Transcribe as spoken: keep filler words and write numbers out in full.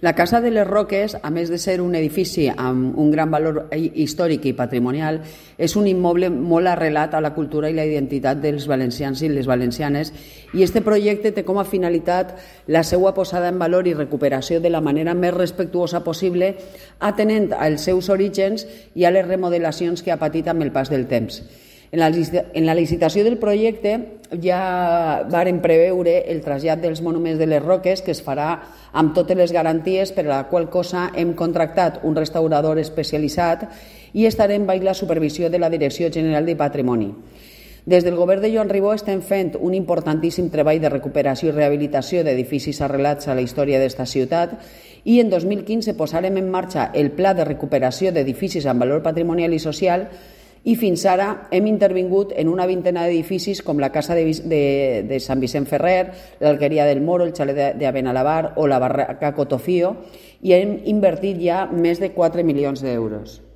La Casa de les Roques, a més de ser un edifici amb un gran valor històric i patrimonial, és un immoble molt arrelat a la cultura i la identitat dels valencians i les valencianes, i este projecte té com a finalitat la seva posada en valor i recuperació de la manera més respectuosa possible, atenent als seus orígens i a les remodelacions que ha patit amb el pas del temps. En la, en la licitació del projecte ja varen preveure el trasllat dels monuments de les Roques, que es farà amb totes les garanties, per a la qual cosa hem contractat un restaurador especialitzat i estarem baix la supervisió de la Direcció General de Patrimoni. Des del govern de Joan Ribó estem fent un importantíssim treball de recuperació i rehabilitació d'edificis arrelats a la història d'esta ciutat i en dos mil quinze posarem en marxa el Pla de recuperació d'edificis amb valor patrimonial i social, i fins ara hem intervingut en una vintena d'edificis com la Casa de, de, de Sant Vicent Ferrer, l'Alqueria del Moro, el Xalet de, de Benalabar o la Barraca Cotofío, i hem invertit ja més de quatre milions d'euros.